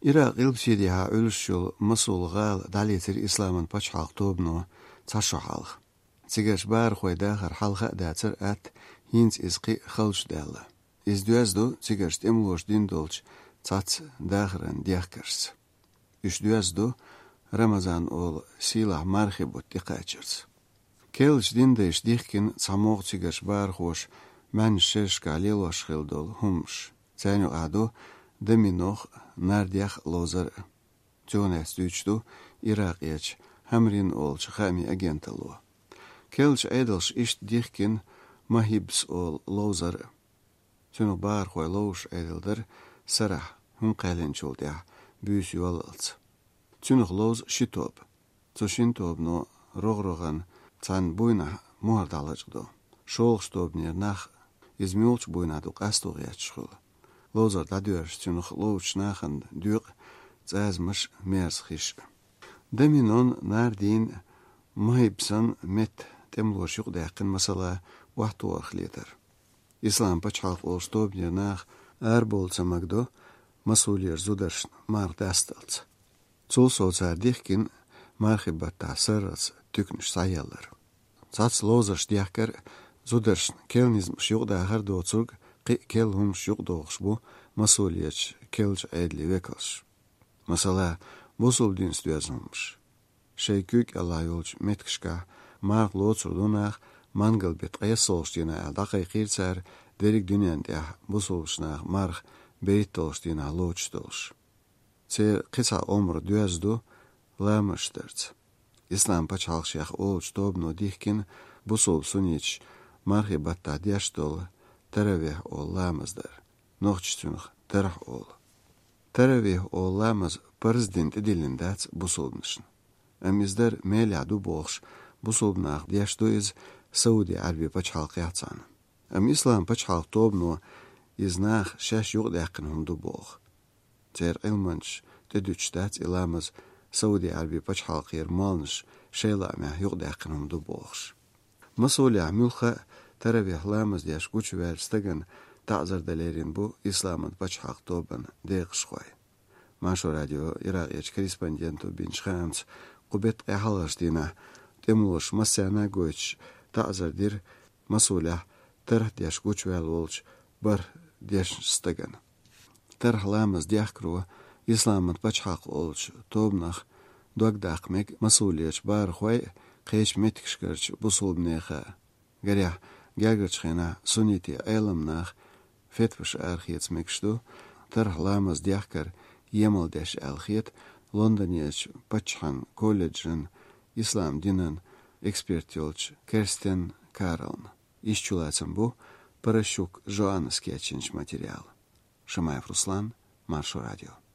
Irak ilbsidiha ölüşül masulgal dalitir İslamın paçhalq tobno taşohalq. Tsigash bar khoydahar halqa datsir at hins izqi khalsh dalla. İzdüyazdu tsigash temlosh dindolch tsats dahran diakars. İzdüyazdu Ramazan ol silah marhibut diqachirs. Kelch dindesh dihkin tsamoq tsigash bar khosh man shesh kalilosh khildol humsh. Tsanu adu Deminoch nardiach lozer. Jonas düçtu Irakiyach hamrin olch khami agentalo. Kelch edelsh ist dichkin mahibs ol lozer. Tunu bar khoy losh edelder sarah hun qalenchuldia büs yolals. Tunu loz shitob. Tsushintob no rogrogan tsan buyna muhardalajdo. Sholstob nir nach izmulch buyna du qastogyachkhul. Lozer dadürs tünüx loç naxın düq zazmış mersxiş. Deminon nardin mahibsan met temloşuq daqın masala wahtu axlidir. İslam paçhalq olstob nax bolsa magdo masulier zudarsh mar dastalts. Çol soçar dixkin marhibat tasarats tüknüş sayallar. Sats lozer diakar zudarsh kelnizm şuq daqar doçurg kel hum şuq doğuş bu masuliyet kelç edli vekals. Masala bosul dinst yazılmış. Şeykük Allah yolç metkişka marq loçurdunaq mangal bit qayasolştina daqiqirçar derik dünyanda bosulşnaq marq beytolştina loçdolş. Ser qisa omr düzdu lamıştırç. İslam paçalşyaq olç dobno dihkin bosul suniç marhibatta diaşdol Teravih olamazdır. Nohçunuq terah ol. Teravih olamaz prezident dilindats busulnışın. Amizder meladu boğş busulnaq diaşdoiz Saudi Arabi paçhalqyatsan. Am İslam paçhalq tobno iznaq şaş yoq daqın humdu boğ. Ter ilmanç tedüçtat ilamaz Saudi Arabi paçhalqyr malnış şeylamah yoq daqın humdu boğş. Masuli amulxa Teravih lamaz diaş güç verstagan ta'zir dalerin bu İslamın paçhalq toban deqşqoy. Maşo radio Irakiyach korrespondentu bin Shams qubet qahalashtina temlosh masana goch ta'zir dir masulah terh diaş güç vel olch bar diaş stagan. Terh lamaz diakro İslamın paçhalq olch tobnaq dogdaqmek masuliyach bar khoy qesh metkishkarch busulbnexa. Garya Gergertschena suniti eilamnach fetvish archiets mekstu ter lamas diachkar yemaldesh alchiet Londoniech Pachhan College'ın İslam dinin ekspertiyolch Kirsten Karln. İşçulatsın bu paraşuk Joannes keçinç material. Шамаев Руслан, Маршо радио.